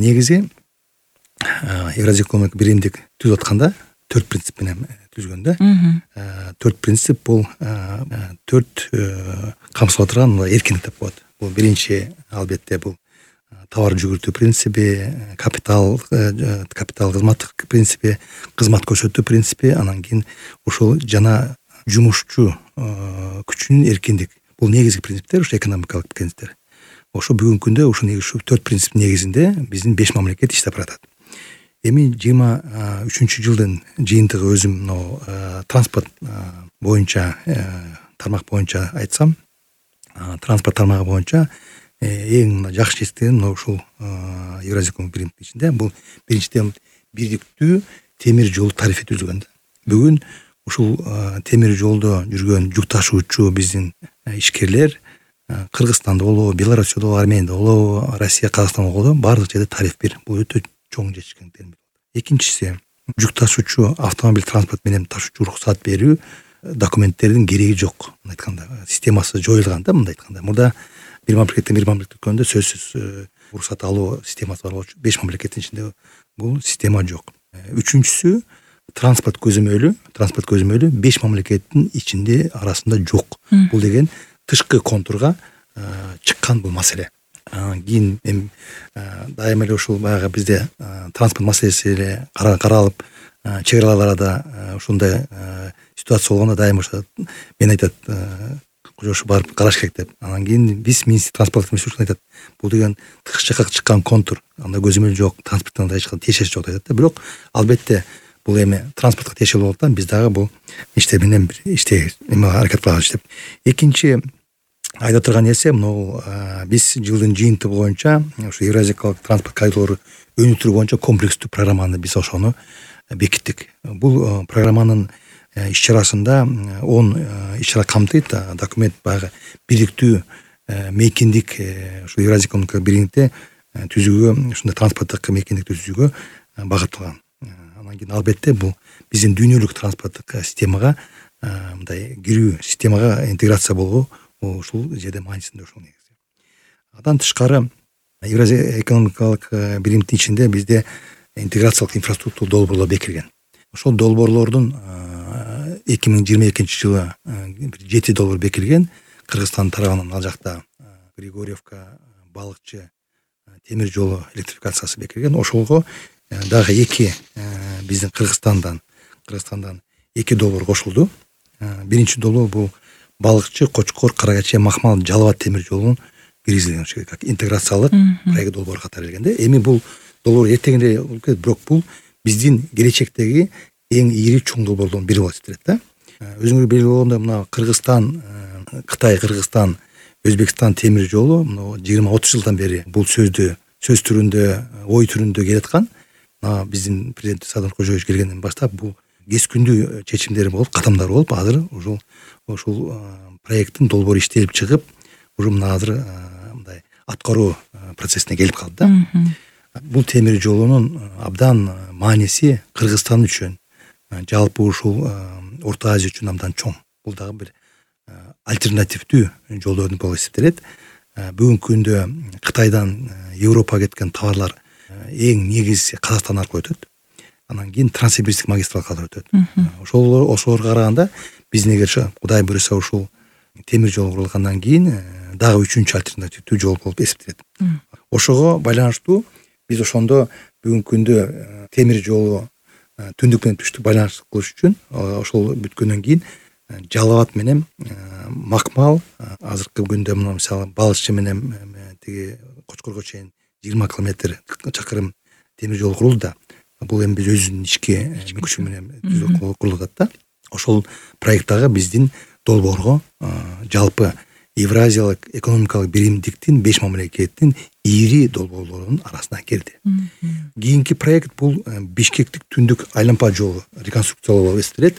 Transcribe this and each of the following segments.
негизи Евразия экономикалык биримдик түзүп атканда 4 принцип менен түзгөн да. 4 принцип бул 4 камсыздап турган эркиндик деп коет. Бул биринчи албетте бул товар жүгүртүү принципи, капитал кызматтык принципи, кызмат көрсөтүү принципи, анан кийин ушул жана жумушчу күчүнүн эркиндик. Бул негизги принциптер, ушу экономикалык принциптер. Ошо бүгүнкү күндө ушу 4 принцип негизинде биздин 5 мамлекет иштеп баратат. Эми 23 жылдын жыйынтыгы өзүм транспорт боюнча тармак боюнча айтсам, транспорт тармагы боюнча эң жакшы жетиштеген ушул Евразия экономикалык биримдиктин ичинде бул биринчиден бирдиктүү темир жол тарифи түзүлгөн. Бүгүн ушул темир жолдо жүргөн жүк ташуучу биздин ишкерлер Кыргызстанда болобу, Белоруссияда болобу, Арменияда болобу, Россия, Казакстанда болобу баардык жерде тариф бир. Бул өтө чоң жетишкен термин. Экинчиси, жүк ташуучу автомобиль транспорт менен ташуучу уруксат берүү документтердин кереги жок. Мындай айтканда, системасы жоюлган да, мындай айтканда. Мурда бир мамлекеттен бир мамлекетке өткөндө сөзсүз уруксат алуу системасы бар болчу. 5 мамлекеттин ичинде бул система жок. Үчүнчүсү, транспорт көзөмөлү 5 мамлекеттин ичинде арасында жок. Бул деген тышкы контурга чыккан бул маселе. Кийин эми дайыма эле ушул баягы бизде транспорт маселеси эле каралып, чек араларда ушундай ситуация болгондо дайыма ошо мен айтат, ошо барып караш керек деп. Анан кийин биз транспорт министрлиги айтат, бул деген тышкы жакка чыккан контур, анда көзөмөл жок, транспорттон тиешеси жок айтат да. Бирок албетте бул эми транспортко тиешелүү болгондуктан биз дагы бул иштер менен аракет кылабыз деп. Экинчи айта турган нерсе, биз жылдын жыйынтыгы боюнча ушу Евразиялык транспорт коридору өнүктүрүү боюнча комплекстүү программаны биз ошону бекиттик. Бул программанын иш-чарасында 10 иш-чара камтыйт. Документ баягы бирдиктүү мейкиндик ушу Евразия экономикалык биримдикте түзүүгө, ушундай транспорттук мейкиндикти түзүүгө багытталган. Анан кийин албетте бул биздин дүйнөлүк транспорттук системага мындай кирүү, системага интеграция болуу ушул жерде маанисинде ушул негизи. Андан тышкары Евразия экономикалык биримдиктин ичинде бизде интеграциялык инфраструктура долбоорлор бекилген. Ошол долбоорлордун 2022 жылы 7 долбоор бекилген. Кыргызстан тарабынан ал жакта Григорьевка, Балыкчы темир жолу электрификациясы бекилген. Ошолго дагы 2 биздин Кыргызстандан 2 долбоор кошулду. Биринчи долбоор бул Балыкчы, Кочкор, Карагаче, Махмал, Жалал абад темир жолунун киргизилген, как интеграциялык проект долбоор катары келгенде. Эми бул долбоор эртеңде бирок бул биздин келечектеги эң ири чоң долбоорлордун бири болот дейт да. Өзүңөр белгилүү болгондой, мына Кыргызстан, Кытай, Кыргызстан, Өзбекстан темир жолу 20-30 жылдан бери бул сөз түрүндө, ой түрүндө келаткан. Биздин президент Садыр Кожоевич келгенден баштап бул кескүндүү чечимдери болуп, кадамдар болуп, азыр ушул проекттин долбоору иштелип чыгып, уже мына азыр мындай аткаруу процессине келип калды да. Бул темир жолунун абдан мааниси Кыргызстан үчүн, жалпы ушул Орто Азия үчүн абдан чоң. Бул дагы бир альтернативдүү жолдордун болуп эсептелет. Бүгүнкү күндө Кытайдан Европага кеткен товарлар эң негизги Казакстан аркылуу өтөт. Анан кийин Транссибирский магистраль катары өтөт. Ошолорго караганда биздин эгер Кудай буйруса ушул темир жол курулгандан кийин дагы 3-чү альтернативдүү жол болуп эсептелет. Ошого байланыштуу биз ошондо бүгүнкү күндө темир жолу түндүк менен түштүк байланыш кылыш үчүн ошол бүткөндөн кийин Жалал абад менен Макмал азыркы күндө мына мисалы Балыкчы менен тиги Кочкорго чейин 20 чакырым темир жол курулду да. Бул эми биз өзүнүн ички күчү менен курулуп атат да. Ошол проект дагы биздин долбоорго жалпы Евразиялык экономикалык биримдиктин 5 мамлекеттин ири долбоорлорунун арасына кирди. Кийинки проект бул Бишкектик түндүк айланпа жолу реконструкциялоо болуп эсептелет.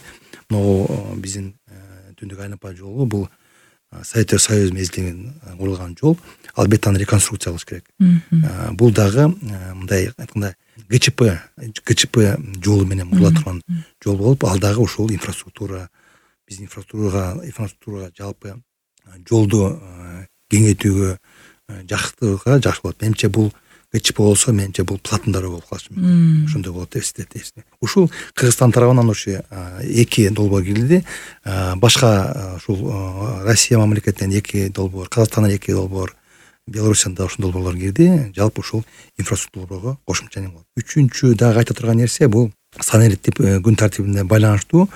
Биздин түндүк айланпа жолу бул Советтер Союзу мезгилинен курулган жол. Албетте аны реконструкция кылыш керек. Бул дагы мындай айтканда ГЧП жолу менен курулат турган жол болуп, ал дагы ушул инфраструктура, биздин инфраструктурага жалпы жолду кеңейтүүгө жакшы болот. Менимче бул ГЧП болсо менимче бул платындары болуп калышы мүмкүн. Ошондой болот деп эсептейм. Ушул Кыргызстан тарабынан ошо 2 долбоор кирди. Башка ушул Россия мамлекетинен 2 долбоор, Казакстандан 2 долбоор, Беларусиядан да ошол долбоорлор кирди. Жалпы ушул инфраструктурага кошумча не болот. Үчүнчү дагы айта турган нерсе бул санариптик күн тартибине байланыштуу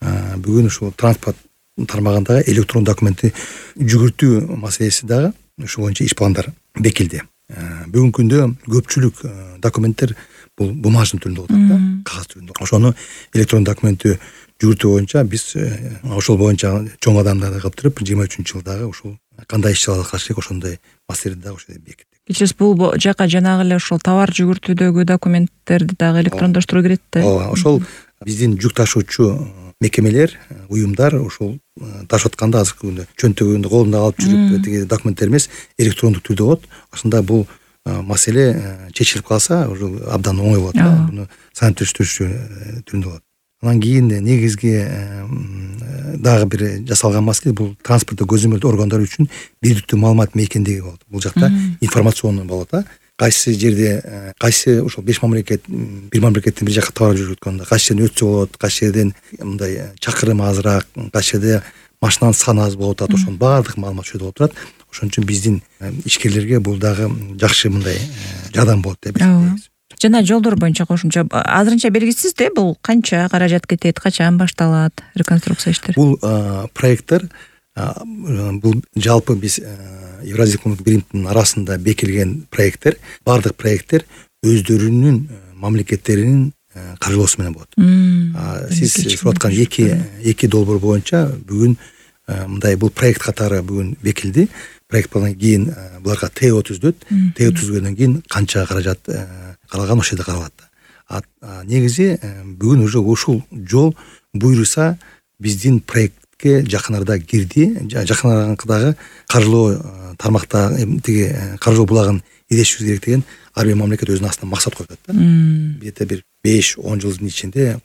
бүгүн ушул транспорт тармагындагы электрон документти жүгүртүү маселеси дагы ушул боюнча иш пландар бекилди. Бүгүнкү күндө көпчүлүк документтер бул бумажный түрүндө болот да, кагаз түрүндө. Ошону электрон документти жүгүртүү боюнча биз ошол боюнча чоң адамдарды кылып туруп 23-жылдагы ушул кандай иш-чаралар кылыш керек ошондой маселени дагы ошол бекиттик. Кичиз бул жака жанагы эле ошол товар жүгүртүүдөгү документтерди дагы электрондоштуруу керек да. Ооба, ошол биздин жүк ташуучу мекемелер, уюмдар ошол ташып атканда азыркы күндө чөнтөгүндө колунда алып жүрүп тиги документтер эмес электрондук түрдө болот. Ошондо бул маселе чечилип калса уже абдан оңой болот да. Буну санариптик түрүндө болот. Анан кийин негизги дагы бир жасалган маселе бул транспорттук көзөмөлдөө органдары үчүн бирдиктүү маалымат мейкиндиги болот. Бул жакта информационный болот да. Кайсы жерде кайсы ошол 5 мамлекет бир мамлекеттен бир жака товар жүргөткөндө кайсы жерден өтсө болот, кайсы жерден мындай чакырым азыраак, кайсы жерде машинанын саны аз болуп атат, ошонун баардык маалымат ошол жерде болуп турат. Ошон үчүн биздин ишкерлерге бул дагы жакшы мындай жардам болот деп эсептейбиз. Жана жолдор боюнча кошумча азырынча белгисиз да, бул канча каражат кетет, качан башталат реконструкция иштери? Бул проекттер бул жалпы биз Евразия өкмөттүк биримдин арасында бекилген проекттер, баардык проекттер өздөрүнүн мамлекеттеринин каржылоосу менен болот. Сиз сурап аткан 2 долбоор боюнча бүгүн мындай бул проект катары бүгүн бекилди. Проекттан кийин буларга ТО түзүлөт. ТО түзгөндөн кийин канча каражат каралган ошол жерде каралат. Негизи бүгүн уже ушул жол буйруса биздин проектке жакын арада кирди. Жакын арадагы каржылоо тармакта тиги каржылоо булагын издешибиз керек деген ар бир мамлекет өзүнүн астына максат коюп атат да. Бир 5-10 жылдын ичинде